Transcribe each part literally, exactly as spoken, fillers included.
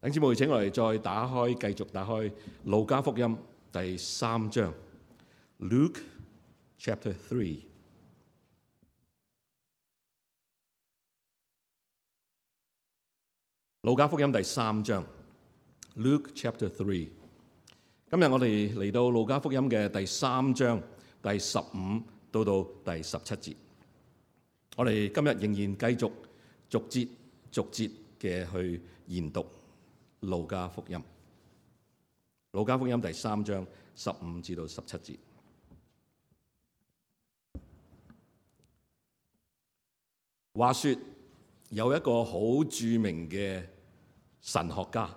弟兄姊妹，請我哋再打開，繼續打開路加福音第三章 Luke chapter three。路加福音第三章 Luke chapter three。今日我哋嚟到路加福音嘅第三章第十五到到第十七節。我哋今日仍然繼續逐節逐節嘅去研讀路加福音。路加福音第三章十五至到十七節。話說有一個好著名嘅神學家，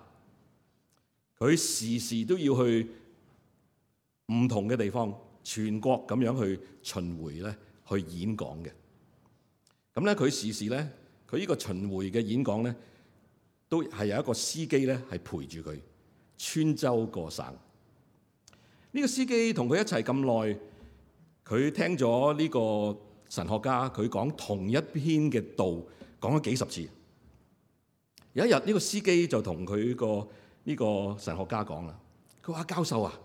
佢時時都要去唔同嘅地方，全國咁樣去巡迴咧，去演講嘅。咁咧，佢時時咧，佢呢個巡迴嘅演講咧，都係有一個司機咧，係陪住佢穿州過省。呢個司機同佢一齊咁耐，佢聽咗呢個神學家佢講同一篇嘅道，講咗幾十次。有一日，呢個司機就同佢個呢個神學家講啦，佢話：教授啊，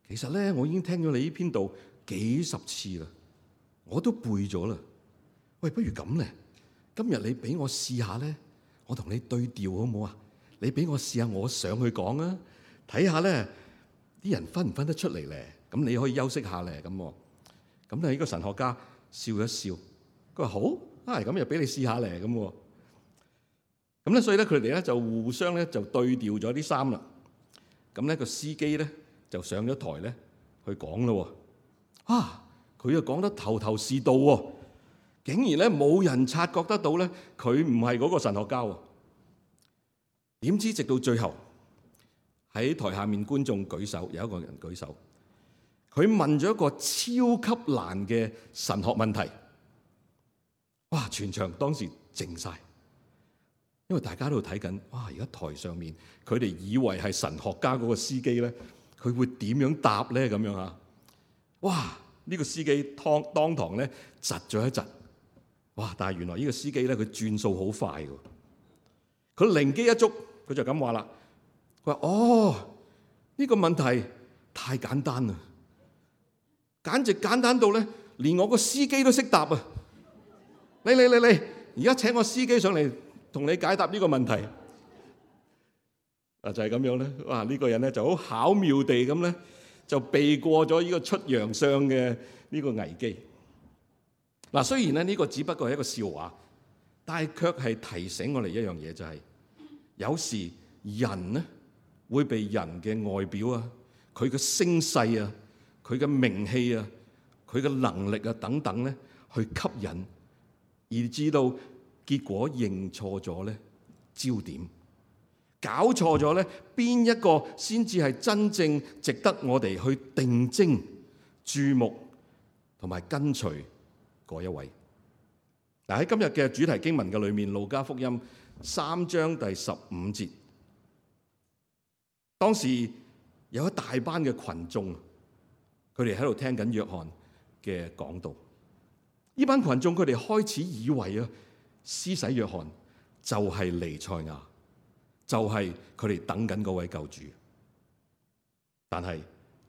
其實咧，我已經聽咗你呢篇道幾十次啦，我都背咗啦。喂，不如咁咧，今日你俾我試下咧，我同你對調好唔好啊？你俾我試下，我上去講啊，睇下咧啲人分唔分得出嚟咧？咁你可以休息下咧，咁咁咧呢個神學家笑一笑，佢話好啊，咁又俾你試下咧，咁咁咧，所以咧佢哋咧就互相咧就對調咗啲衫啦。咁咧個司機咧就上咗台咧去講咯。啊，佢又講得頭頭是道喎。竟然咧冇人察覺得到咧，佢唔係嗰個神學家喎。點知直到最後，喺台下面觀眾舉手，有一個人舉手，佢問咗一個超級難嘅神學問題。哇！全場當時靜晒，因為大家都睇緊。哇！而家台上面佢哋以為係神學家嗰個司機咧，佢會點樣答咧？咁樣啊！哇！呢個司機當當堂咧窒咗一窒。哇！但係原來呢個司機咧，佢轉數好快嘅。佢靈機一觸，佢就咁話啦。佢話：哦，呢個問題太簡單啦，簡直簡單到咧，連我個司機都識答啊！嚟嚟嚟嚟，而家請我司機上嚟同你解答呢個問題。啊，就係咁樣咧。哇！呢個人咧就好巧妙地咁咧，就避過咗呢個出洋相嘅呢個危機。嗱，雖然咧呢個只不過係一個笑話，但係卻係提醒我哋一樣嘢，就係有時人咧會被人嘅外表啊、佢嘅聲勢啊、佢嘅名氣啊、佢嘅能力啊等等咧去吸引，以致到結果認錯咗咧焦點，搞錯咗咧邊一個先至係真正值得我哋去定睛注目同埋跟隨嗰一位。嗱，喺今日嘅主題經文嘅裏面，路加福音三章第十五節，當時有一大班嘅群眾，佢哋喺度聽緊約翰嘅講道。呢班群眾佢哋開始以為啊，施洗約翰就係彌賽亞，就係佢哋等緊嗰位救主。但係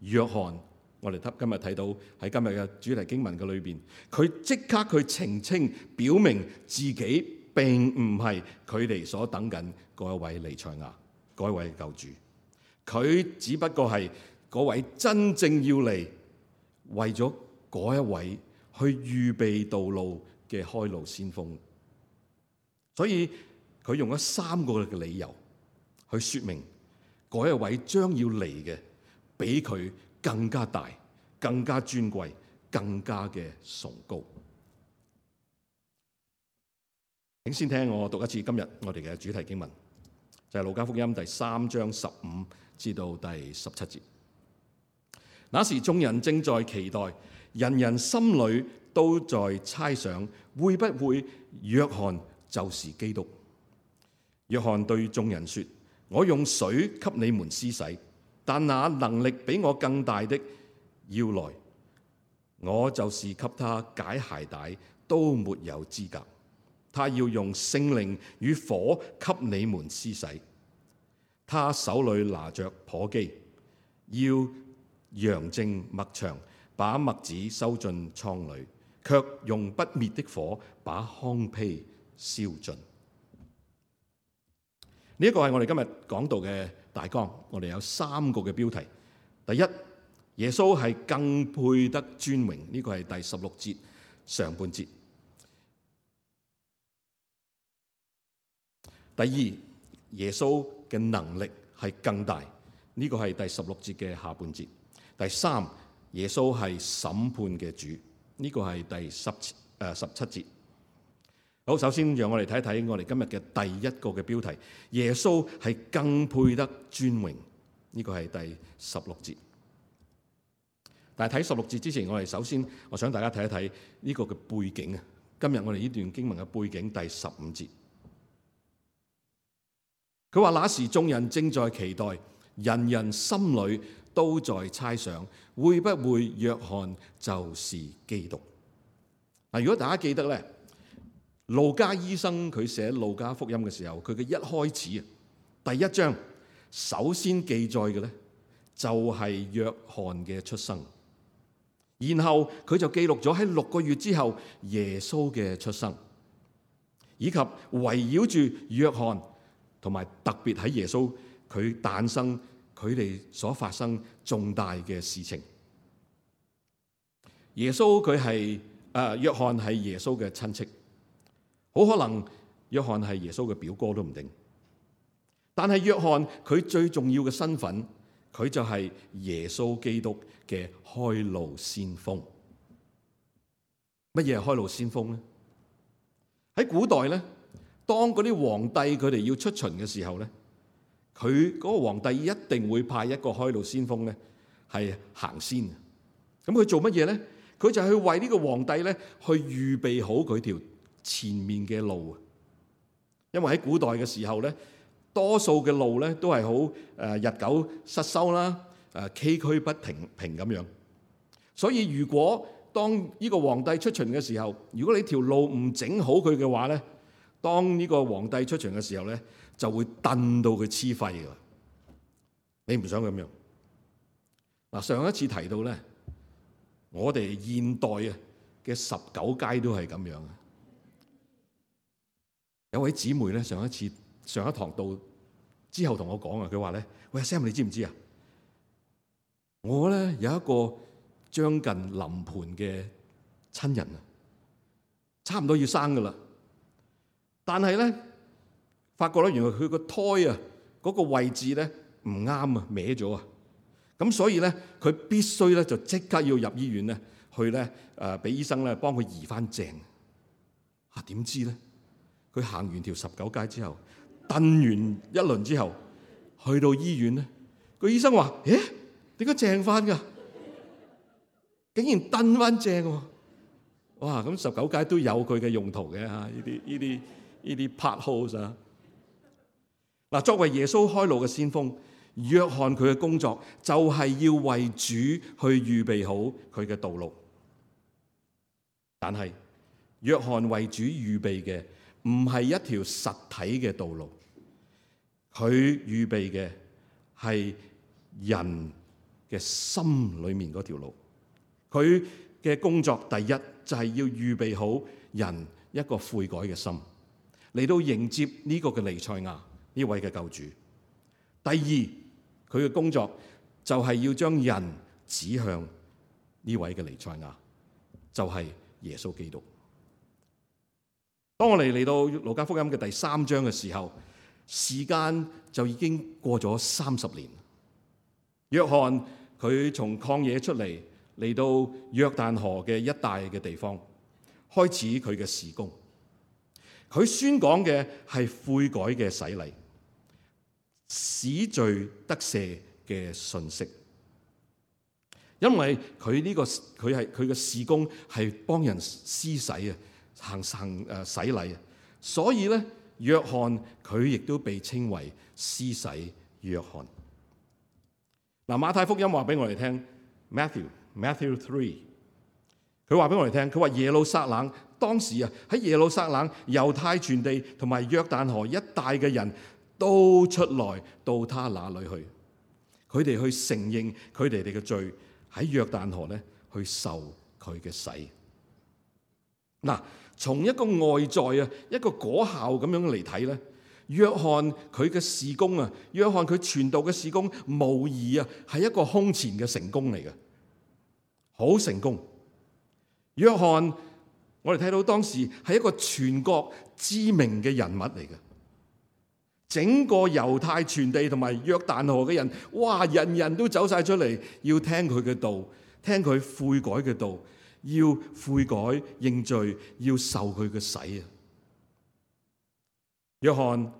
約翰，我哋今日睇到喺今日嘅主題經文嘅裏邊，佢即刻去澄清，表明自己並唔係佢哋所等緊嗰一位彌賽亞，嗰一位救主。佢只不過係嗰位真正要嚟為咗嗰一位去預備道路嘅開路先鋒。所以佢用咗三個嘅理由去說明嗰一位將要嚟嘅比佢更加大、更加尊貴、更加嘅崇高。請先聽我讀一次今日我哋嘅主題經文，就係路加福音第三章十五至到第十七節。那時眾人正在期待，人人心裏都在猜想，會不會約翰就是基督？約翰對眾人說：我用水給你們施洗，但那能力比我更大的要來，我就是給他解鞋帶都沒有資格。他要用聖靈與火給你們施洗，他手裏拿着簸箕，要揚淨麥場，把麥子收進倉裏，卻用不滅的火把糠秕燒盡。呢一個係我哋今日講道嘅大綱，我哋有三個嘅標題。第一，耶穌係更配得尊榮，呢個係第十六節上半節。第二，耶穌嘅能力係更大，呢個係第十六節嘅下半節。第三，耶穌係審判嘅主，呢個係第十誒十七節。好，首先讓我哋睇睇我哋今日嘅第一個嘅標題，耶穌係更配得尊榮，呢個係第十六節。但係睇十六節之前，我哋首先我想大家睇一睇呢個嘅背景啊。今日我哋呢段經文嘅背景，第十五節，佢話那時眾人正在期待，人人心裏都在猜想，會不會約翰就是基督？嗱，如果大家記得咧，路加醫生佢寫路加福音嘅時候，佢嘅一開始啊，第一章首先記載嘅咧就係約翰嘅出生。然後佢就記錄咗喺六個月之後耶穌嘅出生，以及圍繞住約翰同埋特別喺耶穌佢誕生佢哋所發生重大嘅事情。耶穌佢係誒約翰係耶穌嘅親戚，好可能約翰係耶穌嘅表哥都唔定。但係約翰佢最重要嘅身份，佢就係耶穌基督嘅開路先鋒。乜嘢係開路先鋒咧？喺古代咧，當嗰啲皇帝佢哋要出巡嘅時候咧，佢嗰個皇帝一定會派一個開路先鋒咧，係行先。咁佢做乜嘢咧？佢就去為呢個皇帝咧，去預備好佢條前面嘅路啊。因為喺古代嘅時候咧，多數嘅路咧都係好誒日久失修啦，誒崎嶇不平平咁樣。所以如果當呢個皇帝出巡嘅時候，如果你條路唔整好佢嘅話咧，當呢個皇帝出巡嘅時候咧，就會燉到佢黐肺㗎。你唔想咁樣？嗱，上一次提到咧，我哋現代啊嘅十九街都係咁樣啊。有位姊妹咧，上一次上一堂到之後同我講啊，佢話咧：喂 Sam， 你知唔知啊？我咧有一個將近臨盆嘅親人啊，差唔多要生噶啦，但係咧發覺咧，原來佢個胎啊嗰個位置咧唔啱啊，歪咗啊，咁所以咧佢必須咧就即刻要入醫院咧去咧誒俾醫生咧幫佢移翻正。啊，點知咧佢行完條十九街之後，燉完一輪之後，去到醫院咧，個醫生話：誒，點解正翻噶？竟然燉翻正喎！哇！咁十九街都有佢嘅用途嘅嚇，呢啲呢啲呢啲 part holes 啊！嗱，作為耶穌開路嘅先鋒，約翰佢嘅工作就係要為主去預備好佢嘅道路。但係約翰為主預備嘅唔係一條實體嘅道路，佢預備嘅係人嘅心裏面嗰條路。佢嘅工作第一就係要預備好人一個悔改嘅心，嚟到迎接呢個嘅彌賽亞，呢位嘅救主。第二，佢嘅工作就係要將人指向呢位嘅彌賽亞，就係耶穌基督。當我哋嚟到路加福音嘅第三章嘅時候，時間就已經過咗三十年。約翰佢從曠野出嚟，嚟到約旦河嘅一帶嘅地方，開始佢嘅事工。佢宣講嘅係悔改嘅洗禮，使罪得赦嘅信息。因為佢呢、這個佢係佢嘅事工係幫人施洗啊，行行誒洗禮啊，所以咧約翰佢亦都被稱為施洗約翰。嗱，馬太福音話俾我哋聽 ，Matthew。Matthew three， 佢話俾我哋聽，佢話耶路撒冷當時啊喺耶路撒冷、猶太全地同埋約旦河一帶嘅人都出來到他那裏去。佢哋去承認佢哋哋嘅罪，喺約旦河咧去受佢嘅洗。嗱，從一個外在啊，一個果效咁樣嚟睇咧，約翰佢嘅事工啊，約翰佢傳道嘅事工，無疑啊係一個空前嘅成功嚟嘅，好成功。約翰，我哋睇到當時係一個全國知名嘅人物嚟嘅。整個猶太全地同埋約旦河嘅人，哇！人人都走晒出嚟，要聽佢嘅道，聽佢悔改嘅道，要悔改認罪，要受佢嘅洗啊！約翰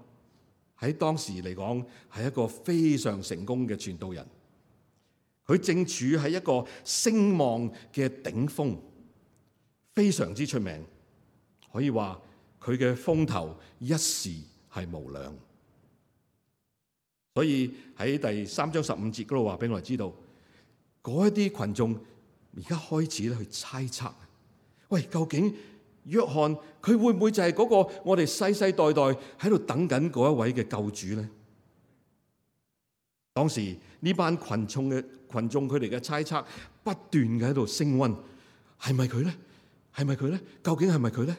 喺當時嚟講係一個非常成功嘅傳道人，佢正處喺一個聲望嘅頂峰，非常之出名，可以話佢嘅風頭一時係無兩。所以喺第三章十五節嗰度話俾我哋知道，嗰一啲群眾而家開始咧去猜測，喂，究竟約翰佢會唔會就係嗰個我哋世世代代喺度等緊嗰一位嘅救主咧？當時呢班群眾嘅群眾佢哋嘅猜測不斷嘅喺度升溫，係咪佢咧？係咪佢咧？究竟係咪佢咧？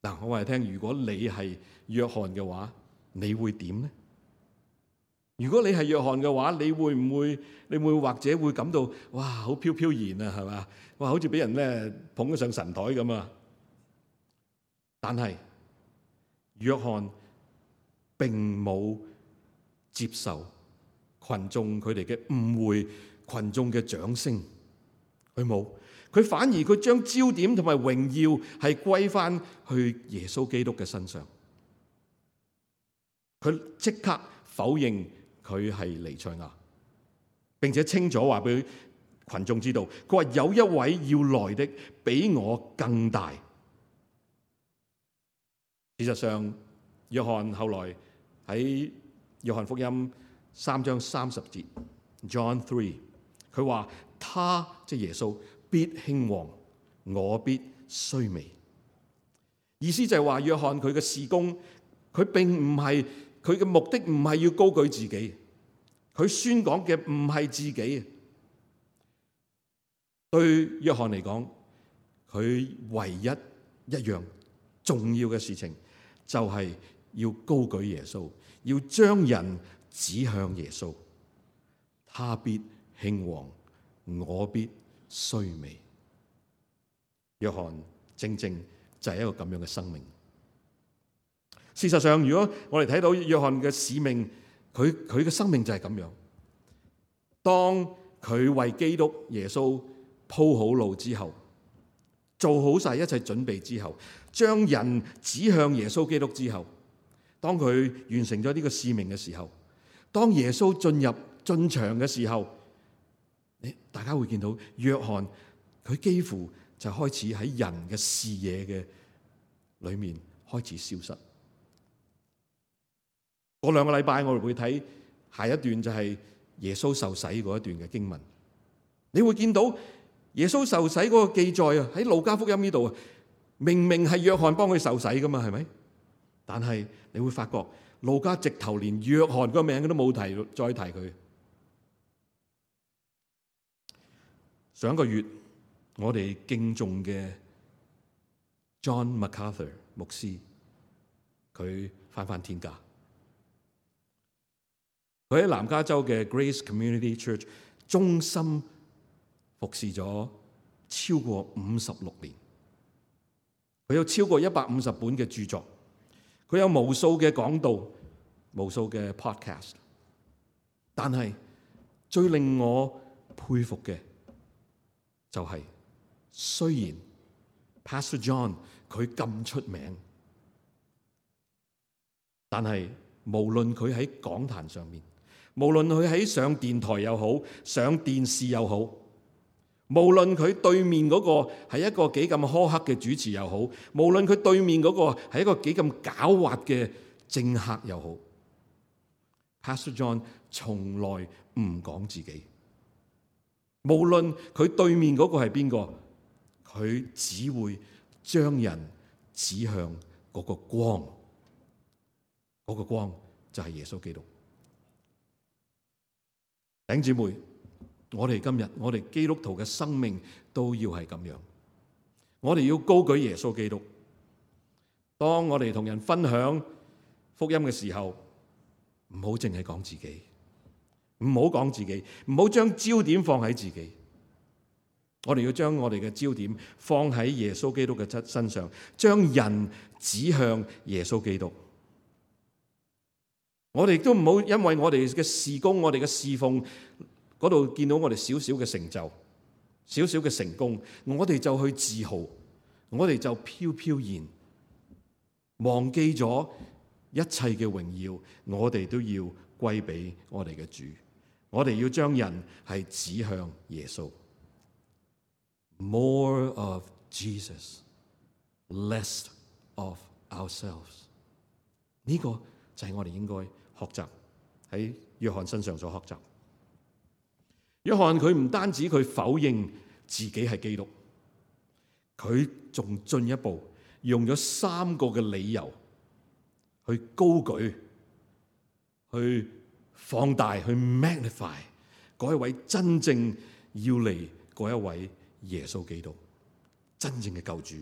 嗱，我話你聽，如果你係約翰嘅話，你會點咧？如果你係約翰嘅話，你會唔會？你會或者會感到哇，好飄飄然啊，係嘛？哇，好似俾人咧捧咗上神台咁啊！但係約翰並冇接受群眾佢哋嘅誤會，群眾嘅掌聲，佢冇，佢反而佢將焦點同埋榮耀係歸翻去耶穌基督嘅身上，佢即刻否認佢係彌賽亞，並且清楚話俾群眾知道，佢話有一位要來的比我更大。事實上，約翰後來喺約翰福音三章三十節 John three， 佢話他即係耶穌必興旺，我必衰微。意思就係話約翰佢嘅事工，佢並唔係佢嘅目的，唔係要高舉自己。佢宣講嘅唔係自己，對約翰嚟講，佢唯一一樣重要嘅事情就係要高舉耶穌，要將人指向耶穌。他必興旺，我必衰微。約翰正正就係一個咁樣嘅生命。事實上，如果我哋睇到約翰嘅使命，佢佢嘅生命就係咁樣。當佢為基督耶穌鋪好路之後，做好晒一切準備之後，將人指向耶穌基督之後，當佢完成咗呢個使命嘅時候，當耶穌進入進場嘅時候，你大家會見到約翰佢幾乎就開始喺人嘅視野嘅裏面開始消失。過兩個禮拜我哋會睇下一段，就係耶穌受洗嗰一段嘅經文。你會見到耶穌受洗嗰個記載啊，喺路加福音呢度啊，明明係約翰幫佢受洗噶嘛，係咪？但係你會發覺路加直頭連約翰個名都冇提，再提佢。上一個月我哋敬重嘅 John MacArthur 牧師，佢返返天家。佢喺南加州嘅 Grace Community Church 忠心服侍咗超過五十六年，佢有超過一百五十本嘅著作，佢有無數嘅講道，無數嘅 podcast。但係最令我佩服嘅就係，雖然 Pastor John 佢咁出名，但係無論佢喺講壇上面，無論佢喺上電台又好，上電視又好，無論佢對面嗰個係一個幾咁苛刻嘅主持又好，無論佢對面嗰個係一個幾咁狡猾嘅政客又好， Pastor John 從來唔講自己。無論佢對面嗰個係邊個，佢只會將人指向嗰個光，嗰嗰個光就係耶穌基督。弟兄姊妹，我哋今日我哋基督徒嘅生命都要係咁樣，我哋要高舉耶穌基督。當我哋同人分享福音嘅時候，唔好淨係講自己，唔好講自己，唔好將焦點放喺自己。我哋要將我哋嘅焦點放喺耶穌基督嘅身上，將人指向耶穌基督。我哋都唔好因為我哋嘅事工、我哋嘅侍奉嗰度見到我哋少少嘅成就、少少嘅成功，我哋就去自豪，我哋就飄飄然，忘記咗一切嘅榮耀，我哋都要歸俾我哋嘅主。我哋要將人係指向耶穌。More of Jesus, less of ourselves。呢個就係我哋應該學習喺約翰身上所學習。約翰佢唔單止佢否認自己係基督，佢仲進一步用咗三個嘅理由去高舉、去放大、去 magnify 嗰一位真正要嚟嗰一位耶穌基督，真正嘅救主。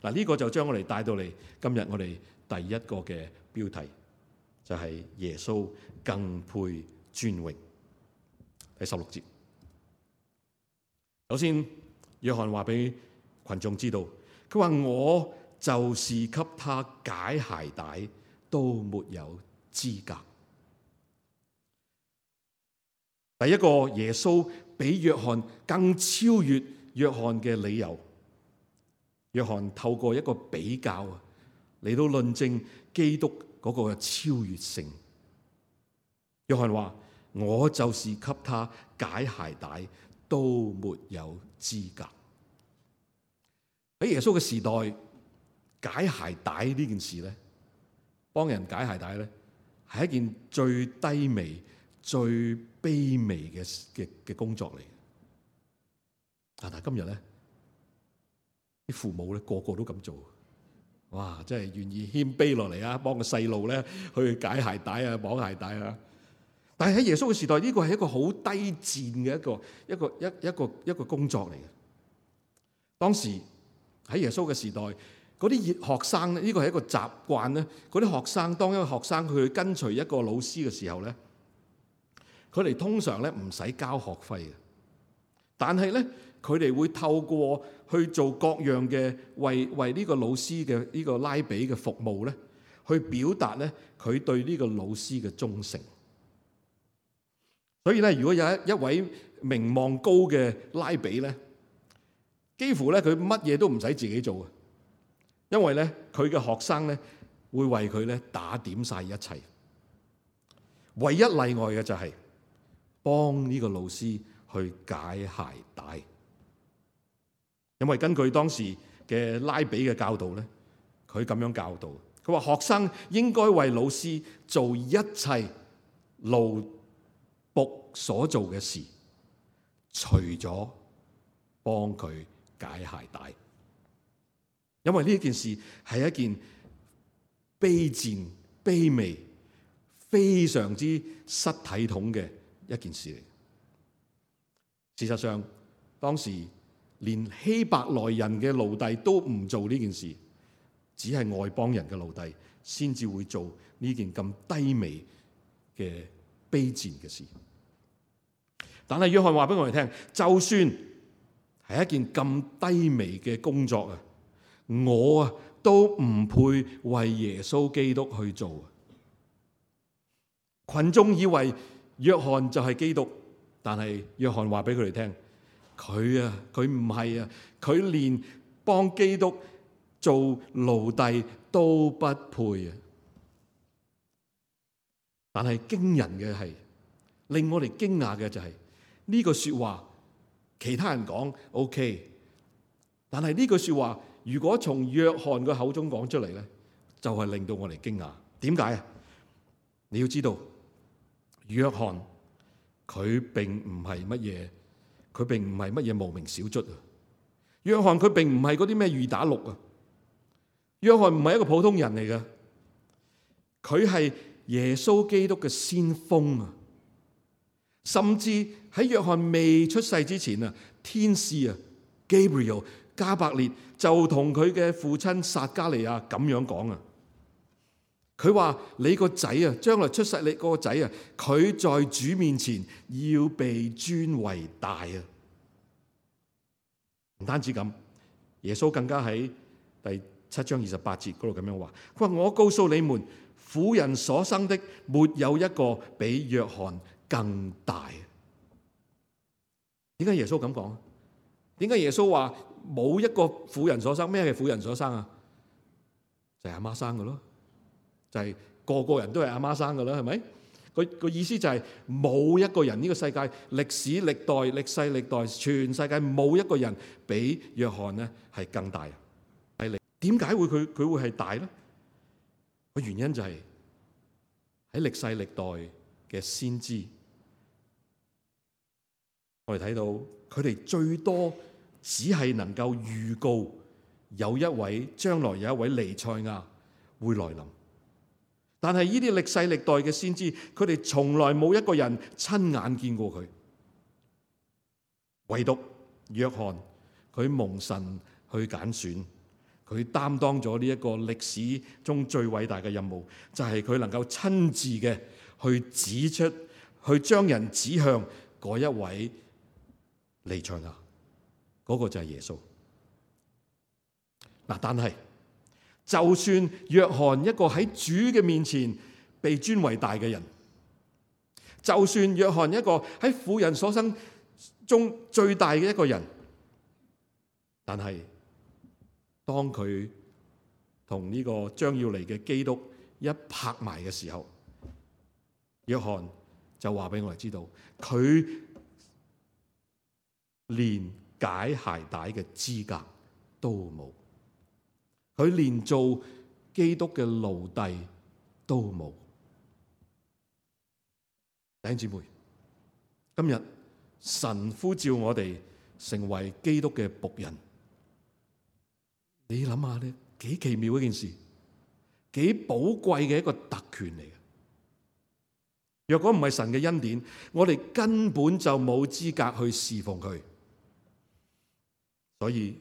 嗱，呢個就將我哋帶到嚟今日我哋第一個嘅標題，就係耶穌更配尊榮。第十六節，首先約翰話俾群眾知道，佢話我就是給他解鞋帶都沒有資格。第一個耶穌比約翰更超越約翰嘅理由，約翰透過一個比較啊，嚟到論證基督嗰個超越性。約翰話：我就是給他解鞋帶都沒有資格。喺耶穌嘅時代，解鞋帶呢件事咧，幫人解鞋帶咧，係一件最低微、最卑微嘅嘅嘅工作嚟。但係今日咧，啲父母咧個個都咁做，哇！真係願意謙卑落嚟啊，幫個細路咧去解鞋帶啊、綁鞋帶啊。但係喺耶穌嘅時代，呢個係一個好低賤嘅一個一個一一個一個工作嚟嘅。當時喺耶穌嘅時代，嗰啲熱學生咧，呢個係一個習慣咧。嗰啲學生當一個學生佢去跟隨一個老師嘅時候咧，佢哋通常咧唔使交學費嘅，但係咧，佢哋會透過去做各樣嘅為為呢個老師嘅呢個拉比嘅服務咧，去表達咧佢對呢個老師嘅忠誠。所以咧，如果有一一位名望高嘅拉比咧，幾乎咧佢乜嘢都唔使自己做嘅，因為咧佢嘅學生咧會為佢咧打點晒一切。唯一例外嘅就係幫呢個老師去解鞋帶。因為根據當時嘅拉比嘅教導咧，佢咁樣教導，佢話學生應該為老師做一切奴僕所做嘅事，除咗幫佢解鞋帶。因為呢件事係一件卑賤、卑微、非常之失體統嘅一件事嚟。事實上，當時連希伯來人嘅奴隸都唔做呢件事，只係外邦人嘅奴隸先至會做呢件咁低微嘅卑賤嘅事。但係約翰話俾我哋聽，就算係一件咁低微嘅工作啊，我啊都唔配為耶穌基督去做。群眾以為約翰就係基督，但係約翰話俾佢哋聽，佢啊佢唔係啊，佢連幫基督做奴隸都不配啊！但係驚人嘅係，令我哋驚訝嘅就係呢句說話，其他人講 OK， 但係呢句說話如果從約翰嘅口中講出嚟咧，就係令到我哋驚訝。點解啊？你要知道，約翰佢並唔係乜嘢，佢並唔係乜嘢無名小卒啊！約翰佢並唔係嗰啲咩二打六啊！約翰唔係一個普通人嚟嘅，佢係耶穌基督嘅先鋒啊！甚至喺約翰未出世之前啊，天使啊 Gabriel 加百列就同佢嘅父親撒加利亞咁樣講啊。佢話：你個仔啊，將來出世你個仔啊，佢在主面前要被尊為大啊！唔單止咁，耶穌更加喺第七章二十八節嗰度咁樣話：佢話我告訴你們，婦人所生的沒有一個比約翰更大。點解耶穌咁講？點解耶穌話冇一個婦人所生？咩係婦人所生啊？就係阿媽生嘅咯。就係、是、個個人都係阿媽生噶啦，係咪？個個意思就係冇一個人，呢個世界歷史歷代歷世歷代全世界冇一個人比約翰呢係更大。係點解會佢佢會係大咧？個原因就係喺歷世歷代嘅先知，我哋睇到佢哋最多只係能夠預告有一位將來有一位彌賽亞會來臨。但係呢啲歷世歷代嘅先知，佢哋從來冇一個人親眼見過佢，唯獨約翰，佢蒙神去揀選，佢擔當咗呢一個歷史中最偉大嘅任務，就係佢能夠親自嘅去指出，去將人指向嗰一位彌賽亞，嗰個就係耶穌。嗱，但係，就算約翰一個喺主嘅面前被尊為大嘅人，就算約翰一個喺婦人所生中最大嘅一個人，但係當佢同呢個將要嚟嘅基督一拍埋嘅時候，約翰就話俾我哋知道，佢連解鞋帶嘅資格都冇。佢連做基督嘅奴隸都冇。弟兄姊妹，今日神呼召我哋成為基督嘅僕人，你諗下咧，幾奇妙一件事，幾寶貴嘅一個特權嚟嘅。若果唔係神嘅恩典，我哋根本就冇資格去侍奉佢。所以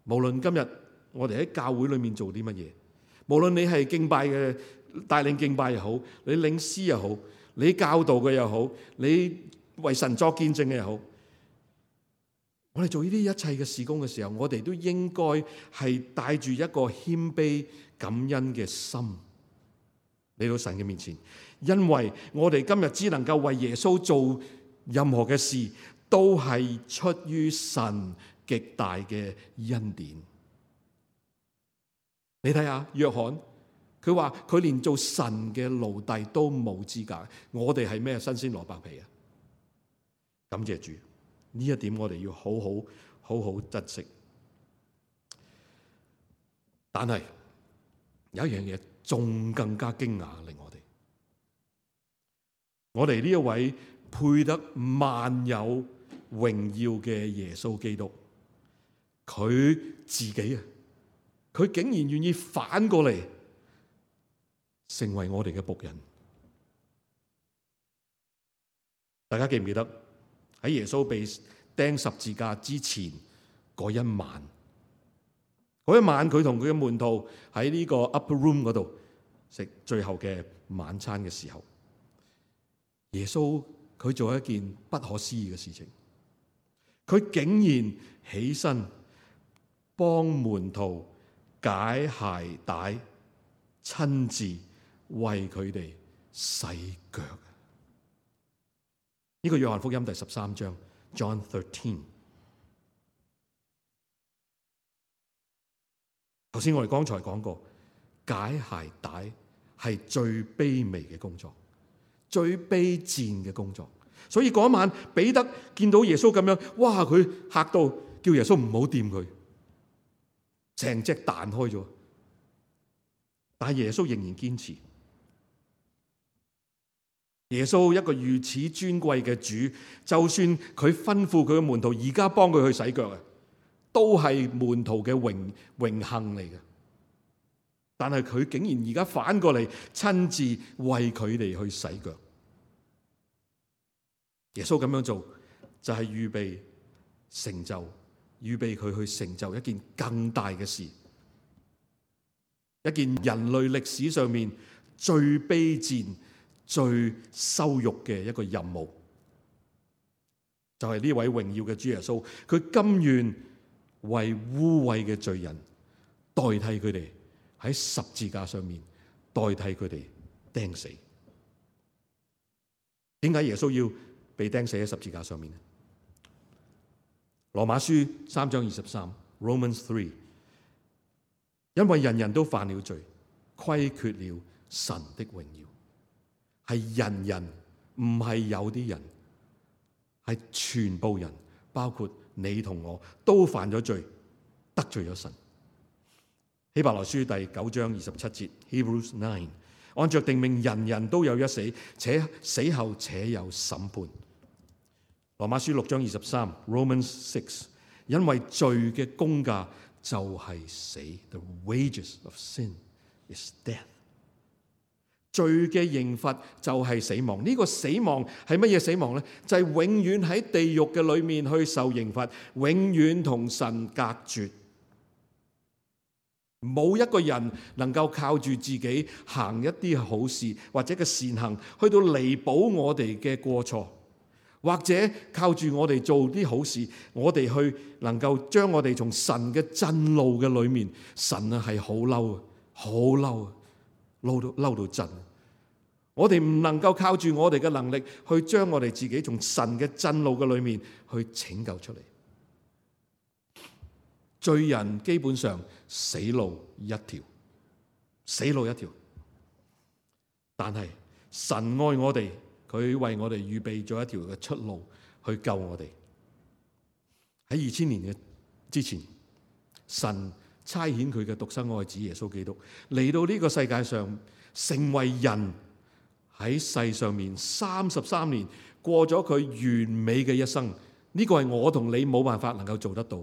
無論今日我哋喺教會裏面做啲乜嘢，無論你係敬拜嘅帶領敬拜又好，你領詩又好，你教導嘅又好，你為神作見證嘅又好，我哋做呢啲一切嘅事工嘅時候，我哋都應該係帶住一個謙卑感恩嘅心嚟到神嘅面前，因為我哋今日只能夠為耶穌做任何嘅事，都係出於神極大嘅恩典。你睇下約翰，佢話佢連做神嘅奴隸都冇資格，我哋係咩新鮮蘿蔔皮啊？感謝主，呢一點我哋要好好好好珍惜。但係有一樣嘢仲更加驚訝，令我哋，我哋呢一位配得萬有榮耀嘅耶穌基督，佢自己啊！佢竟然願意反過嚟成為我哋嘅僕人。大家記唔記得喺耶穌被釘十字架之前嗰一晚？嗰一晚佢同佢嘅門徒喺呢個 upper room 嗰度食最後嘅晚餐嘅時候，耶穌佢做一件不可思議嘅事情，佢竟然起身幫門徒解鞋帶，親自為佢哋洗腳。呢個約翰福音第十三章 John thirteen。頭先我哋剛才講過，解鞋帶係最卑微嘅工作，最卑賤嘅工作。所以嗰晚彼得見到耶穌咁樣，哇！佢嚇到叫耶穌唔好掂佢。成隻彈開咗，但係耶穌仍然堅持。耶穌一個如此尊貴嘅主，就算佢吩咐佢嘅門徒而家幫佢去洗腳啊，都係門徒嘅榮榮幸嚟嘅。但係佢竟然而家反過嚟親自為佢哋去洗腳。耶穌咁樣做就係預備成就，預備佢去成就一件更大嘅事，一件人類歷史上面最卑賤、最羞辱嘅一個任務。就係呢位榮耀嘅主耶穌，佢甘願為污穢嘅罪人代替佢哋喺十字架上面代替佢哋釘死。點解耶穌要被釘死喺十字架上面呢？羅馬書三章二十三 Romans three， 因為人人都犯了罪，虧缺了神的榮耀。係人人，唔係有啲人，係全部人，包括你同我都犯咗罪，得罪咗神。希伯來書第九章二十七節 Hebrews nine， 按着定命，人人都有一死，且死後且有審判。羅馬書六章二十三 Romans six， 因為罪嘅工價就係死 The wages of sin is death。 罪嘅刑罰就係死亡。呢個死亡係乜嘢死亡呢？就係永遠喺地獄嘅裏面去受刑罰，永遠同神隔絕。冇一個人能夠靠住自己行一啲好事或者嘅善行去到彌補我哋嘅過錯，或者靠住我哋做啲好事，我哋去能夠將我哋從神嘅震怒嘅裏面，神啊係好嬲啊，好嬲啊，嬲到嬲到震。我哋唔能夠靠住我哋嘅能力去將我哋自己從神嘅震怒嘅裏面去拯救出嚟。罪人基本上死路一條，死路一條。但係神愛我哋，佢為我哋預備咗一條嘅出路去救我哋。喺二千年嘅之前，神差遣佢嘅獨生愛子耶穌基督嚟到呢個世界上，成為人，喺世上面三十三年過咗佢完美嘅一生。呢個係我同你冇辦法能夠做得到。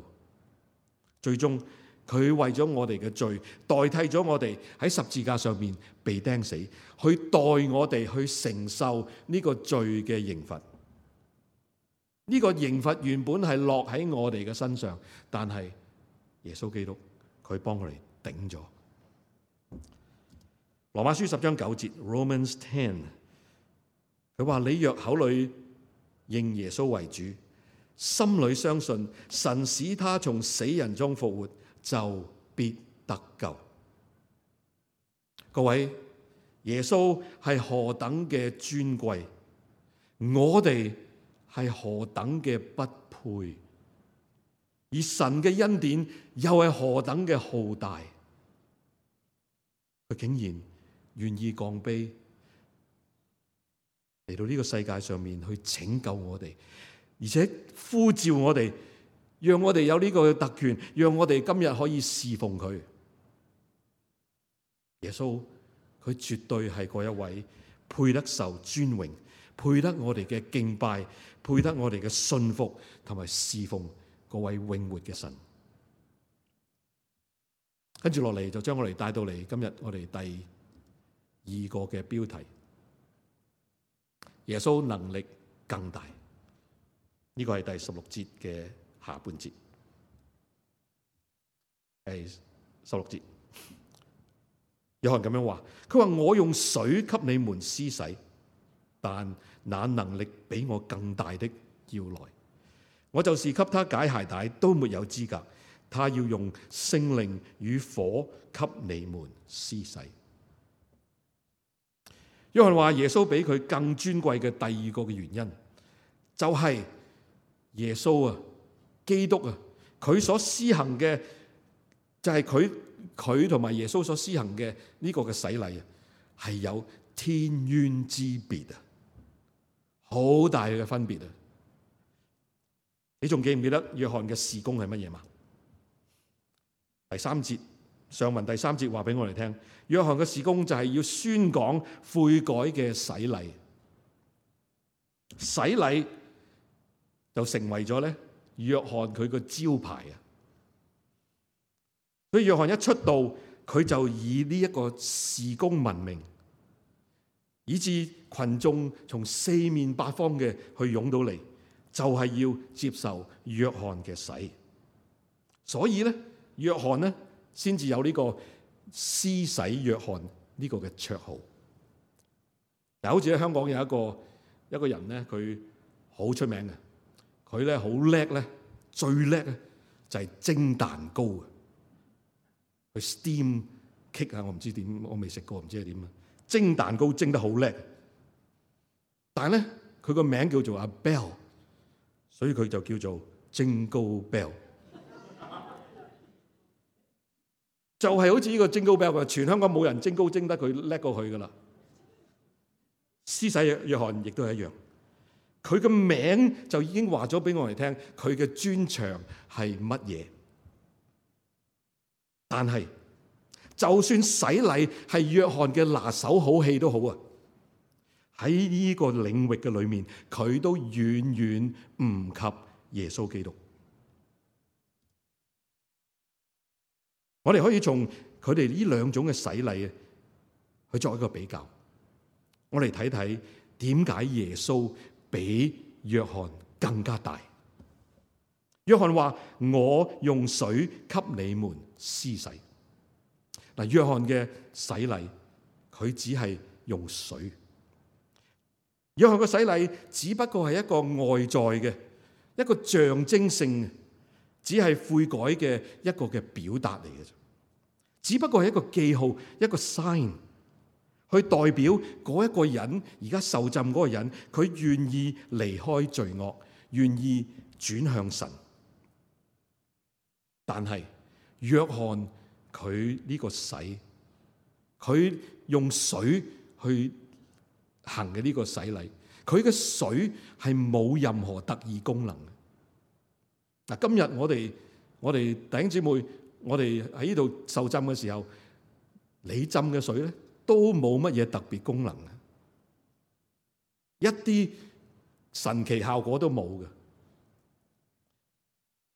最終佢為咗我哋嘅罪，代替咗我哋喺十字架上面被釘死，去代我哋去承受呢個罪嘅刑罰。呢個刑罰原本係落喺我哋嘅身上，但係耶穌基督佢幫我哋頂咗。羅馬書十章九節 Romans ten， 佢話你若口裏認耶穌為主，心裏相信神使他從死人中復活，就必得救。各位，耶穌係何等嘅尊貴，我哋係何等嘅不配，而神嘅恩典又係何等嘅浩大。佢竟然願意降卑嚟到呢個世界上面去拯救我哋，而且呼召我哋，讓我哋有呢個特權，讓我哋今日可以侍奉佢。耶穌佢絕對係嗰一位配得受尊榮，配得我哋嘅敬拜，配得我哋嘅信服同埋侍奉嗰位永活嘅神。跟住落嚟就將我哋帶到嚟今日我哋第二個嘅標題：耶穌能力更大。呢個係第十六節嘅下半節。係十六節，約翰咁樣話：佢話我用水給你們施洗，但那能力比我更大的要來，我就是給他解鞋帶都沒有資格，他要用聖靈與火給你們施洗。約翰話耶穌比佢更尊貴嘅第二個嘅原因，就係耶穌啊，基督啊，佢所施行嘅就係佢佢同埋耶穌所施行嘅呢個嘅洗禮啊，係有天淵之別啊，好大嘅分別啊！你仲記唔記得約翰嘅事工係乜嘢嘛？第三節上文第三節話俾我哋聽，約翰嘅事工就係要宣講悔改嘅洗禮，洗禮就成為咗咧約翰佢個招牌啊！所以約翰一出道佢就以呢一個事工聞名，以致群眾從四面八方嘅去湧到嚟，就係要接受約翰嘅洗。所以咧，約翰咧先至有呢個施洗約翰呢個嘅綽號。嗱，好似喺香港有一個一個人咧，佢好出名嘅，佢咧好叻咧，最叻咧就係蒸蛋糕嘅，佢 steam cake 啊，我唔知點，我未食過，唔知係點啊。蒸蛋糕蒸得好叻，但係咧佢個名叫做阿 Bell， 所以佢就叫做蒸糕 Bell。就係好似呢個蒸糕 Bell，全香港冇人蒸糕蒸得佢叻過佢噶啦。施洗約翰亦都係一樣，佢嘅名就已經話咗俾我哋聽，佢嘅專長係乜嘢。但係就算洗禮係約翰嘅拿手好戲都好啊，喺呢個領域嘅裏面，佢都遠遠唔及耶穌基督。我哋可以從佢哋呢兩種嘅洗禮去作一個比較，我哋睇睇點解耶穌比約翰更加大。約翰話：我用水給你們施洗。嗱，約翰嘅洗禮佢只係用水，約翰嘅洗禮只不過係一個外在嘅一個象徵性嘅，只係悔改嘅一個嘅表達嚟嘅啫，只不過係一個記號，一個 sign， 去代表嗰一個人而家受浸嗰個人，佢願意離開罪惡，願意轉向神。但係約翰佢呢個洗，佢用水去行嘅呢個洗禮，佢嘅水係冇任何特異功能嘅。嗱，今日我哋我哋弟兄姊妹，我哋喺呢度受浸嘅時候，你浸嘅水咧都冇乜嘢特別功能嘅，一啲神奇效果都冇嘅。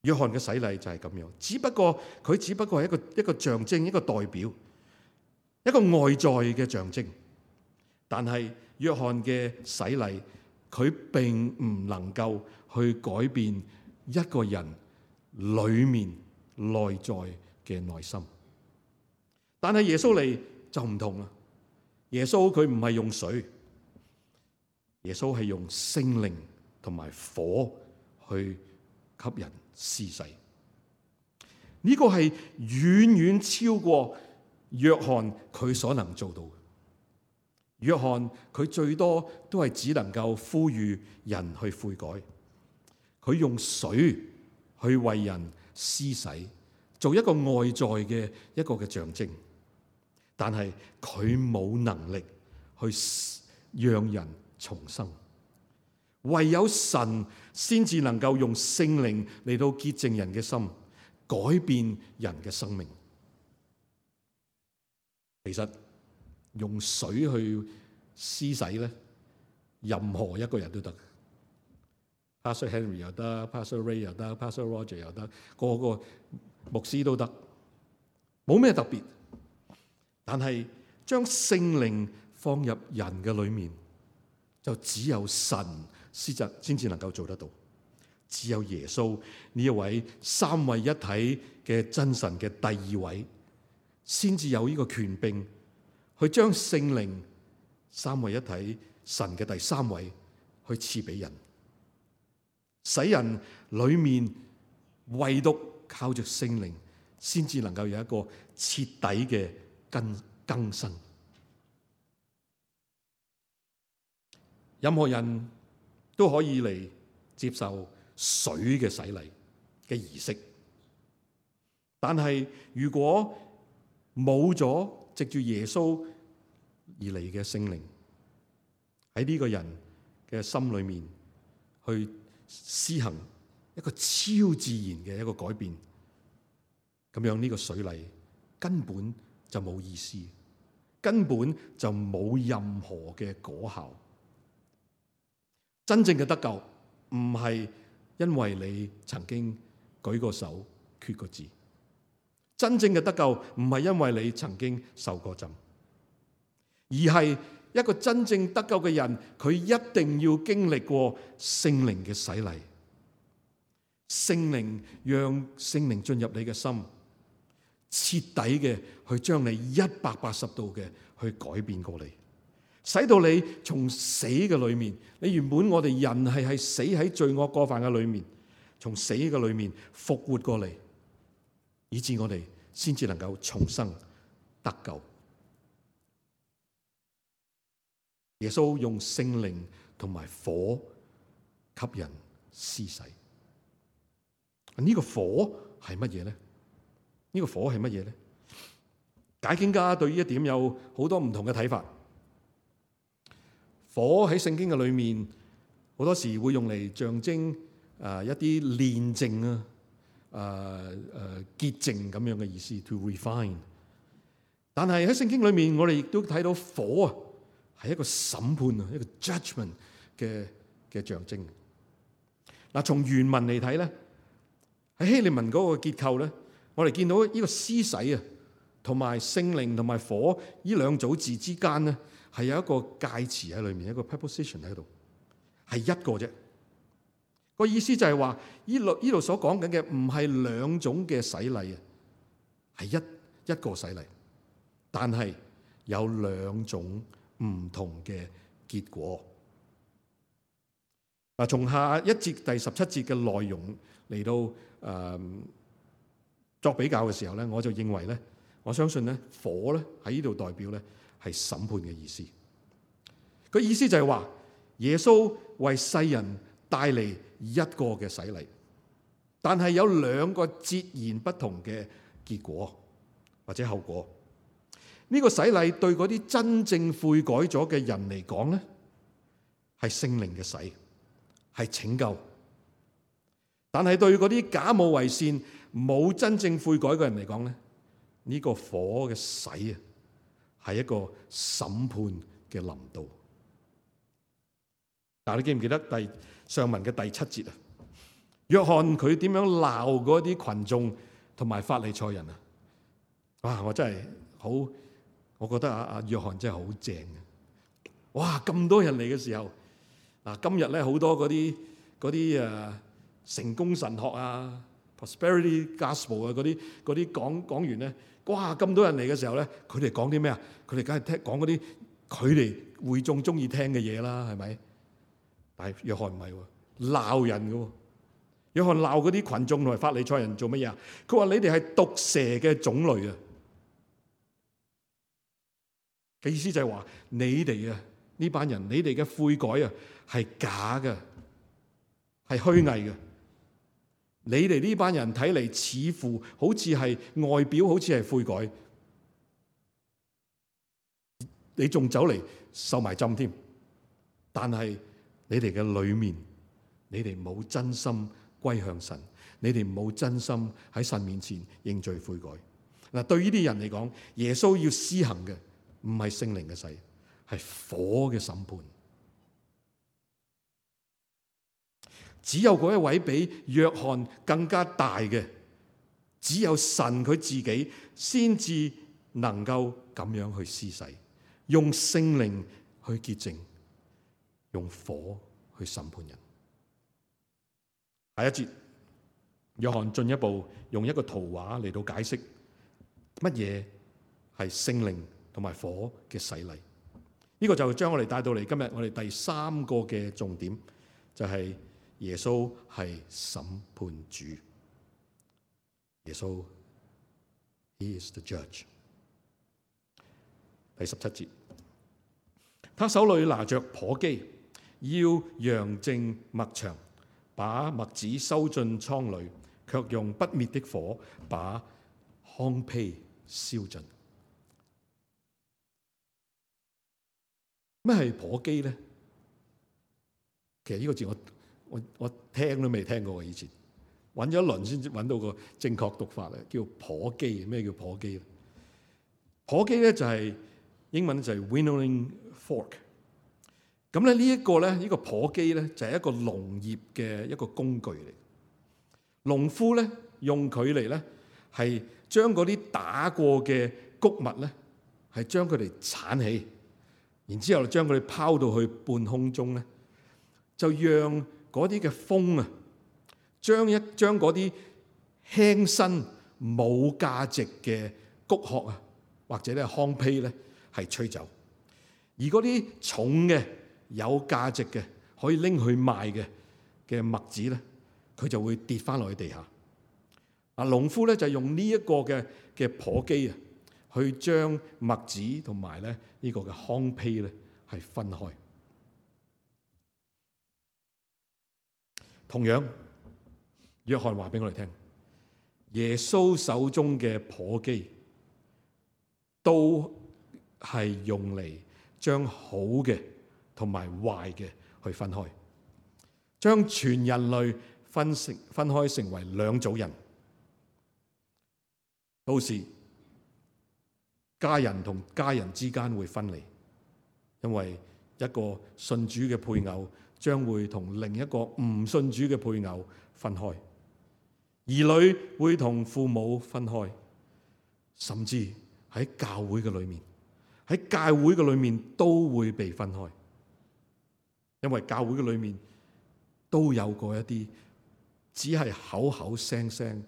約翰嘅洗禮就係咁樣，只不過佢只不過係一個一個象徵，一個代表，一個外在嘅象徵。但係約翰嘅洗禮，佢並唔能夠去改變一個人裏面內在嘅內心。但係耶穌嚟就唔同啦，耶穌佢唔係用水，耶穌係用聖靈同埋火去給人施洗。呢個係遠遠超過約翰佢所能做到嘅。約翰佢最多都係只能夠呼籲人去悔改，佢用水去為人施洗，做一個外在嘅一個嘅象徵，但係佢冇能力去讓人重生。唯有神先至能夠用聖靈嚟到潔淨人嘅心，改變人嘅生命。其實用水去施洗咧，任何一個人都得。Pastor Henry 又得 ，Pastor Ray 又得 ，Pastor Roger 又得，個個牧師都得，冇咩特別。但係將聖靈放入人嘅裏面，就只有神先至先至能夠做得到。只有耶穌呢一位三位一體嘅真神嘅第二位，先至有呢個權柄去將聖靈三位一體神嘅第三位去賜俾人，使人裏面唯獨靠着聖靈，先至能夠有一個徹底嘅更更新。任何人都可以嚟接受水嘅洗禮嘅儀式，但係如果冇咗藉住耶穌而嚟嘅聖靈喺呢個人嘅心裏面去施行一個超自然嘅一個改變，咁樣呢個水禮根本就冇意思，根本就冇任何嘅果效。真正嘅得救唔係因為你曾經舉過手決過志，真正嘅得救唔係因為你曾經受過浸，而係一個真正得救嘅人，佢一定要經歷過聖靈嘅洗禮。聖靈讓聖靈進入你嘅心，徹底嘅去將你一百八十度嘅去改變過嚟，使到你從死嘅裏面，你原本我哋人係係死喺罪惡過犯嘅裏面，從死嘅裏面復活過嚟，以致我哋先至能夠重生得救。耶穌用聖靈同埋火給人施洗。呢個火係乜嘢咧？呢個火係乜嘢咧？解經家對於一點有好多唔同嘅睇法。火喺聖經嘅裏面，好多時會用嚟象徵啊一啲煉淨啊、啊誒潔淨咁樣嘅意思 ，to refine。但係喺聖經裏面，我哋亦都睇到火啊係一個審判啊，一個 judgment 嘅嘅象徵。嗱，從原文嚟睇咧。喺希臘文嗰個結構咧，我哋見到呢個施洗啊，同埋聖靈同埋火呢兩組字之間咧，係有一個介詞喺裏面，一個 preposition 喺度，係一個啫。個意思就係話，呢度呢度所講緊嘅唔係兩種嘅洗禮啊，係一一個洗禮，但係有兩種唔同嘅結果。嗱，從下一節第十七節嘅內容嚟到誒、呃、作比較嘅時候咧，我就認為咧，我相信咧火咧喺呢度代表咧係審判嘅意思。個意思就係話耶穌為世人帶嚟一個嘅洗禮，但係有兩個截然不同嘅結果或者後果。呢、這個洗禮對嗰啲真正悔改咗嘅人嚟講咧，係聖靈嘅洗，係拯救。但係對嗰啲假冒為善、冇真正悔改嘅人嚟講咧，呢、這個火嘅洗啊，係一個審判嘅臨到。但係你記唔記得第上文嘅第七節啊？約翰佢點樣鬧嗰啲群眾同埋法利賽人啊？哇！我真係好，我覺得阿阿約翰真係好正啊！哇！咁多人嚟嘅時候，嗱今日咧好多嗰啲嗰啲誒成功神學啊、prosperity gospel 啊嗰啲嗰啲講講完咧，哇！咁多人嚟嘅時候咧，佢哋講啲咩啊？佢哋梗係聽講嗰啲佢哋會眾中意聽嘅嘢啦，係咪？但係約翰唔係喎，鬧人嘅喎。約翰鬧嗰啲群眾同埋法利賽人做乜嘢啊？佢話你哋係毒蛇嘅種類啊！嘅意思就係話你哋啊呢班人，你哋嘅悔改啊係假嘅，係虛偽嘅。你哋呢班人睇嚟似乎好似係外表好似係悔改，你仲走嚟受埋浸添，但係你哋嘅裏面，你哋冇真心歸向神，你哋冇真心喺神面前認罪悔改。嗱，對呢啲人嚟講，耶穌要施行嘅唔係聖靈嘅洗，係火嘅審判。只有嗰一位比約翰更加大嘅，只有神佢自己先至能夠咁樣去施洗，用聖靈去潔淨，用火去審判人。下一節，約翰進一步用一個圖畫嚟到解釋乜嘢係聖靈同埋火嘅洗禮。呢、這個就將我哋帶到嚟今日我哋第三個嘅重點，就係、是、耶穌係審判主。耶穌 He is the judge。第十七節，他手裏拿着簸箕，要揚淨麥場，把麥子收進倉裏，卻用不滅的火把糠秕燒盡。咩係簸箕咧？其實呢個字我我我聽都未聽過，以前揾咗一輪先揾到個正確讀法咧，叫簸箕。咩叫簸箕咧？簸箕咧就係英文就係 winnowing fork。咁咧呢一個咧呢個簸箕咧就係一個農業嘅一個工具嚟。農夫咧用佢嚟咧係將嗰啲打過嘅穀物咧，係將佢哋鏟起，然之後將佢哋拋到去半空中咧，就讓嗰啲嘅風啊，將一將嗰啲輕身冇價值嘅穀殼啊，或者咧糠秕咧，係吹走，而嗰啲重嘅有價值嘅可以拎去賣嘅嘅麥子咧，佢就會跌翻落去地下。啊，農夫咧就用呢一個嘅嘅簸箕啊，去將麥子同埋咧呢個嘅糠秕咧係分開。同樣，約翰話俾我哋聽，耶穌手中嘅簸箕都係用嚟將好嘅同埋壞嘅去分開，將全人類分成分開成為兩組人。到時家人同家人之間會分離，因為一個信主嘅配偶將會同另一個唔信主嘅配偶分開，兒女會同父母分開，甚至喺教會嘅裏面，喺教會嘅裏面都會被分開，因為教會嘅裏面都有過一啲只係口口聲聲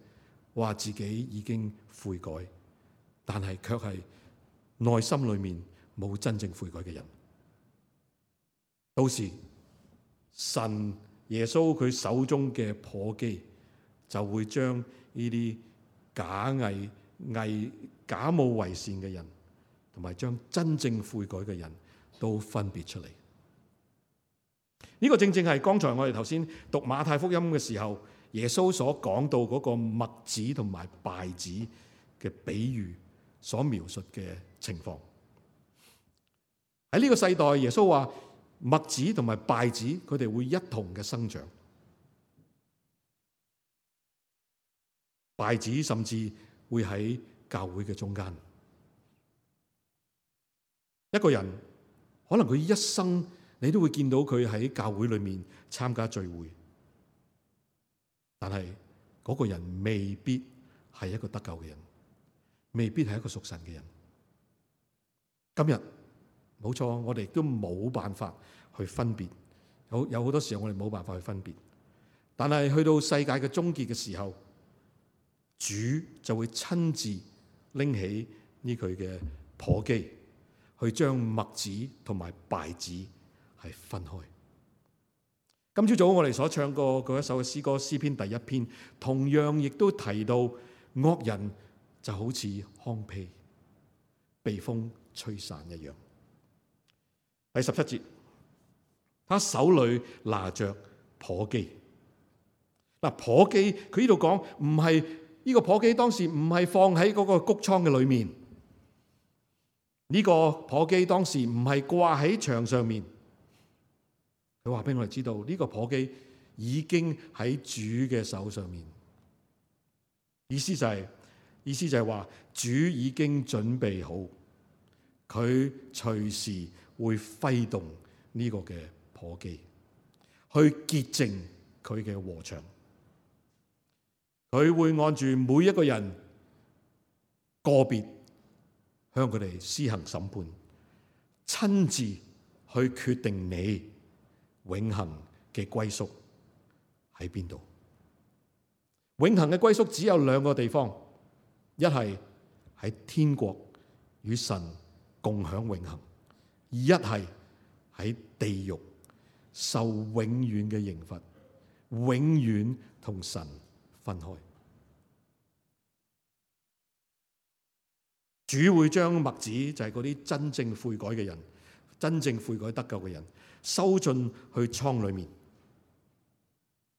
話自己已經悔改，但係卻係內心裏面冇真正悔改嘅人。到時神耶穌佢手中嘅簸箕就會將呢啲假偽偽假冒為善嘅人，同埋將真正悔改嘅人都分別出嚟。呢個正正係剛才我哋頭先讀馬太福音嘅時候，耶穌所講到嗰個麥子同埋稗子嘅比喻所描述嘅情況。喺呢個世代，耶穌話麥子同埋稗子佢哋會一同嘅生長，稗子甚至會喺教會嘅中間。一個人可能佢一生你都會見到佢喺教會裏面參加聚會，但係嗰個人未必係一個得救嘅人，未必係一個屬神嘅人。今日冇錯，我哋都冇辦法去分別，有有好多時候我哋冇辦法去分別。但係去到世界嘅終結嘅時候，主就會親自拎起呢佢嘅簸箕，去將麥子同埋稗子係分開。今朝早我哋所唱過嗰一首嘅詩歌詩篇第一篇，同樣亦都提到惡人就好似糠秕被風吹散一樣。第十七節，他手裏拿着簸箕。嗱，簸箕佢呢度講唔係呢個簸箕，當時唔係放喺嗰個穀倉嘅裏面。呢個簸箕當時唔係掛喺牆上面。佢話俾我哋知道，呢個簸箕已經喺主嘅手上面。意思就係，意思就係話主已經準備好，佢隨時會揮動呢個嘅簸箕，去潔淨佢嘅禾場。佢會按住每一個人個別向佢哋施行審判，親自去決定你永恆嘅歸宿喺邊度。永恆嘅歸宿只有兩個地方，一係喺天國與神共享永恆，一係喺地獄受永遠嘅刑罰，永遠同神分開。主會將麥子，就係嗰啲真正悔改嘅人，真正悔改得救嘅人，收進去倉裏面。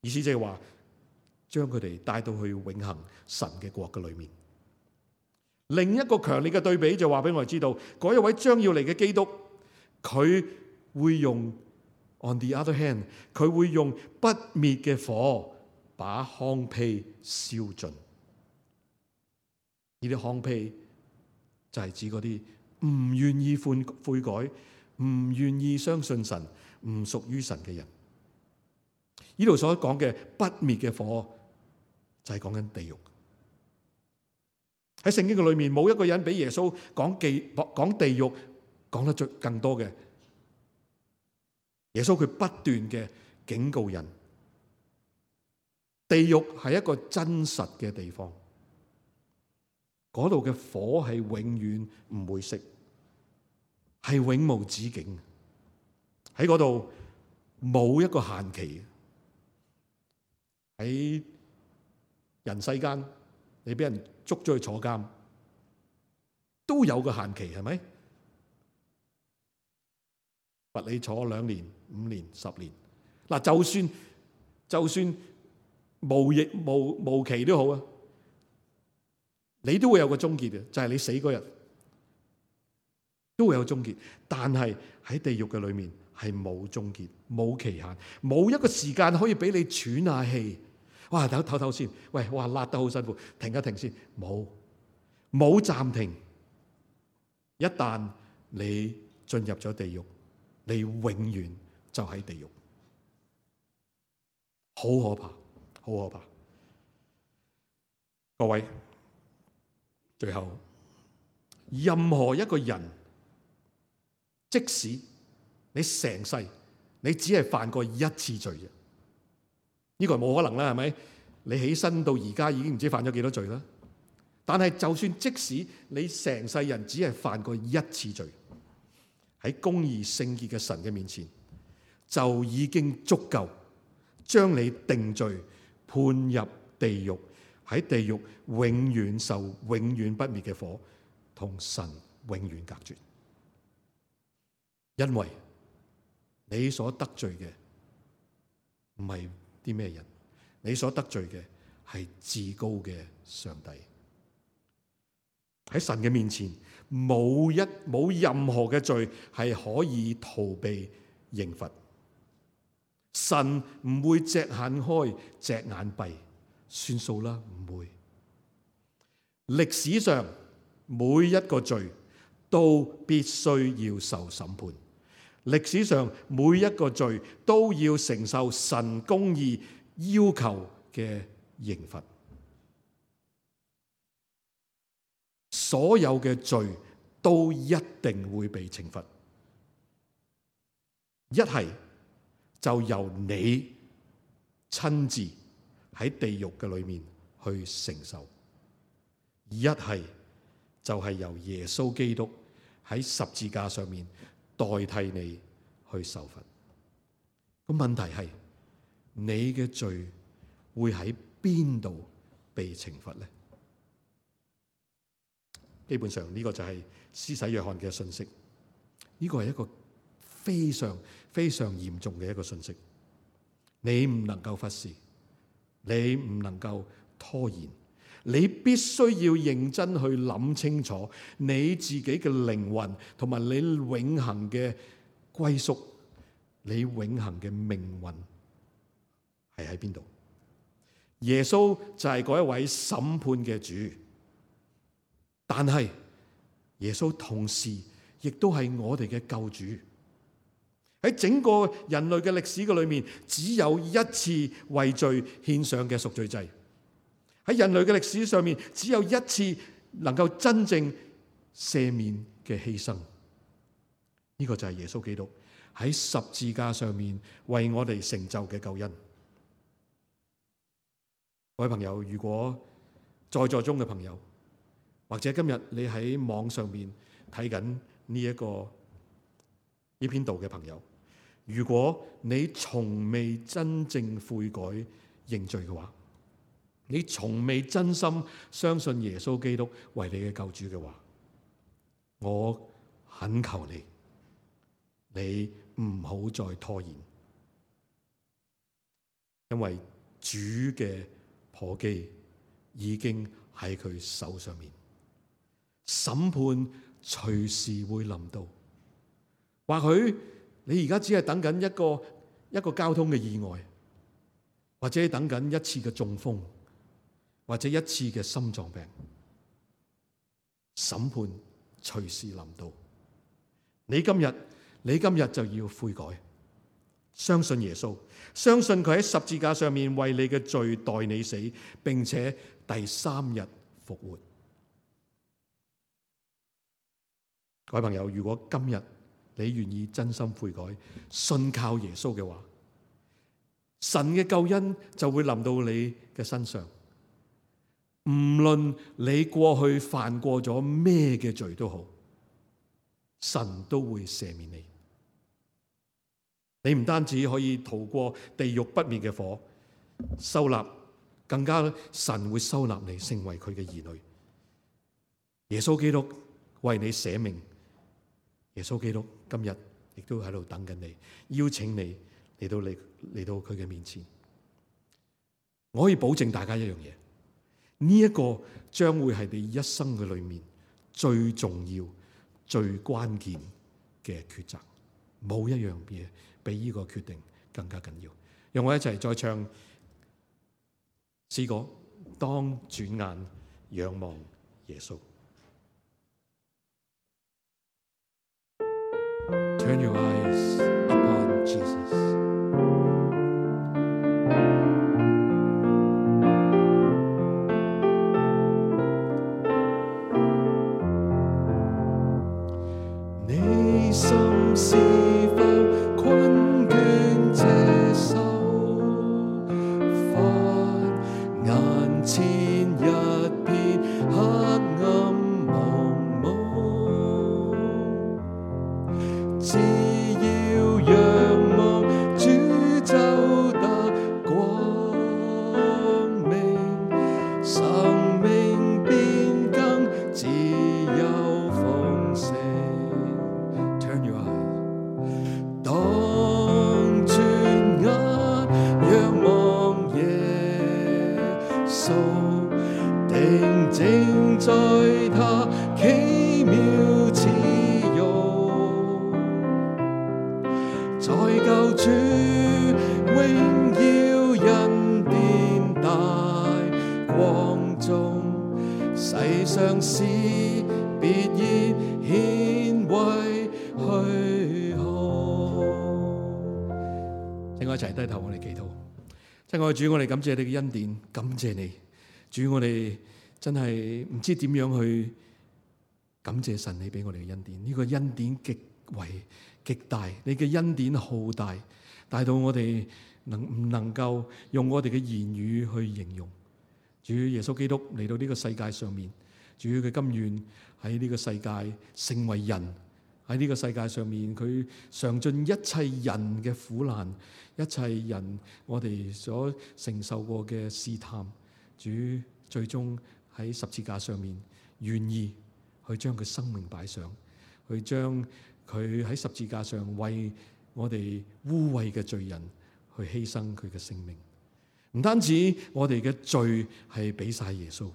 意思即係話，將佢哋帶到去永恆神嘅國嘅裏面。另一個強烈嘅對比就話俾我哋知道，嗰一位將要嚟嘅基督，佢會用 on the other hand， 佢會用不滅嘅火把糠秕燒盡。呢啲糠秕就係指嗰啲唔願意悔悔改、唔願意相信神、唔屬於神嘅人。呢度所講嘅不滅嘅火就係講緊地獄。喺聖經嘅裏面，冇一個人比耶穌講地講地獄講得最更多嘅。耶穌佢不斷嘅警告人，地獄係一個真實嘅地方，嗰度嘅火係永遠唔會熄，係永無止境。喺嗰度冇一個限期。喺人世間，你俾人捉咗去坐監，都有個限期，係咪？罰你坐兩年、五年、十年。嗱，就算就算無亦無無期都好啊，你都會有個終結嘅，就係你死嗰日都會有終結。但係喺地獄嘅裏面係冇終結、冇期限、冇一個時間可以俾你喘下氣。哇，唞唞唞先，喂，哇，辣得好辛苦，停一停先，冇冇暫停。一旦你進入咗地獄，你永遠就喺地獄，好可怕，好可怕。各位，最後，任何一個人，即使你成世你只係犯過一次罪啫，呢個係冇可能啦，係咪？你起身到而家已經唔知犯咗幾多罪啦。但係就算即使你成世人只係犯過一次罪，喺公義聖潔嘅神嘅面前，就已經足夠將你定罪，判入地獄，喺地獄永遠受永遠不滅嘅火，同神永遠隔絕。因為你所得罪嘅唔係啲咩人，你所得罪嘅係至高嘅上帝。喺神嘅面前，冇一冇任何嘅罪係可以逃避刑罰。神唔會隻眼開隻眼閉，算數啦，唔會。歷史上每一個罪都必須要受審判，歷史上每一個罪都要承受神公義要求嘅刑罰。所有嘅罪都一定會被懲罰，一係就由你親自喺地獄嘅裏面去承受，一係就係由耶穌基督喺十字架上面代替你去受罰。個問題係你嘅罪會喺邊度被懲罰呢？基本上呢個就係施洗約翰嘅信息，呢個係一個非常非常嚴重嘅一個信息，你唔能夠忽視，你唔能夠拖延，你必須要認真去諗清楚你自己嘅靈魂同埋你永恆嘅歸宿，你永恆嘅命運係喺邊度？耶穌就係嗰一位審判嘅主。但係耶穌同時亦都係我哋嘅救主。喺整個人類嘅歷史嘅裏面，只有一次為罪獻上嘅贖罪祭。喺人類嘅歷史上面，只有一次能夠真正赦免嘅犧牲。呢個就係耶穌基督喺十字架上面為我哋成就嘅救恩。各位朋友，如果在座中嘅朋友，或者今日你喺網上面睇緊呢一個呢篇道嘅朋友，如果你從未真正悔改認罪嘅話，你從未真心相信耶穌基督為你嘅救主嘅話，我懇求你，你唔好再拖延，因為主嘅簸箕已經喺佢手上面。審判隨時會臨到，或許你而家只係等緊一個一個交通嘅意外，或者等緊一次嘅中風，或者一次嘅心臟病。審判隨時臨到，你今日你今日就要悔改，相信耶穌，相信佢喺十字架上面為你嘅罪代你死，並且第三日復活。各位朋友，如果今日你願意真心悔改，信靠耶穌嘅話，神嘅救恩就會臨到你嘅身上。唔論你過去犯過咗咩嘅罪都好，神都會赦免你。你唔單止可以逃過地獄不滅嘅火，收納，更加神會收納你成為佢嘅兒女。耶穌基督為你捨命，耶穌基督今日亦都喺度等緊你，邀請你嚟到嚟嚟到佢嘅面前。我可以保證大家一樣嘢，呢一個將會係你一生嘅裏面最重要、最關鍵嘅抉擇，冇一樣嘢比呢個決定更加緊要。讓我一齊再唱詩歌，當轉眼仰望耶穌。Turn your eyes upon Jesus. 你心是否困倦這受煩，眼前一片黑暗茫茫，只要仰望主就得光明，生命變更自由豐盛。Turn your eyes， 當轉眼仰望耶穌，定睛在他奇妙慈容，在救主榮耀恩典大光中，世上事必然顯為虛空。請我一齊低頭，我哋祈禱。親愛的主，我哋感謝你嘅恩典，感謝你，主，我哋真係唔知點樣去感謝神你俾我哋嘅恩典。呢個恩典極為極大，你嘅恩典浩大，大到我哋能唔能夠用我哋嘅言語去形容。主耶穌基督嚟到呢個世界上面，主佢甘願喺呢個世界成為人，喺呢個世界上面佢嘗盡一切人嘅苦難，一切人我哋所承受過嘅試探，主最終喺十字架上面願意去將佢生命擺上，去將佢喺十字架上為我哋污穢嘅罪人去犧牲佢嘅性命。唔單止我哋嘅罪係俾晒耶穌，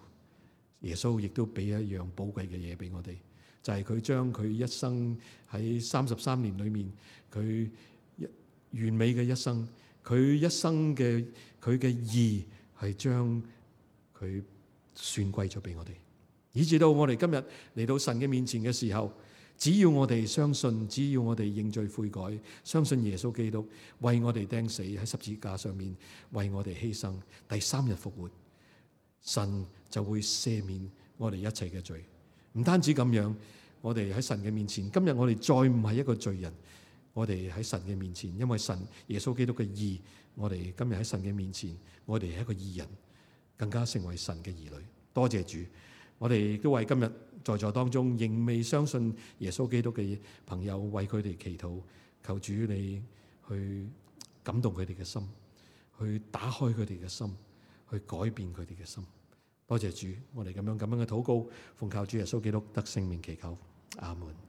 耶穌亦都俾一樣寶貴嘅嘢俾我哋，就係佢將佢一生喺三十三年裏面，佢完美嘅一生，佢一生嘅佢嘅義係將佢算歸咗俾我哋，以至到我哋今日嚟到神嘅面前嘅時候，只要我哋相信，只要我哋認罪悔改，相信耶穌基督為我哋釘死喺十字架上面，為我哋犧牲，第三日復活，神就會赦免我哋一切嘅罪。唔單止咁樣，我哋喺神嘅面前，今日我哋再唔係一個罪人，我哋喺神嘅面前，因為神耶穌基督嘅義，我哋今日喺神嘅面前，我哋係一個義人，更加成為神嘅兒女。多謝主，我哋亦都為今日在座當中仍未相信耶穌基督嘅朋友，為佢哋祈禱，求主你去感動佢哋嘅心，去打開佢哋嘅心，去改變佢哋嘅心。多謝主，我哋咁樣咁樣嘅禱告，奉靠主耶穌基督得聖名祈求，阿門。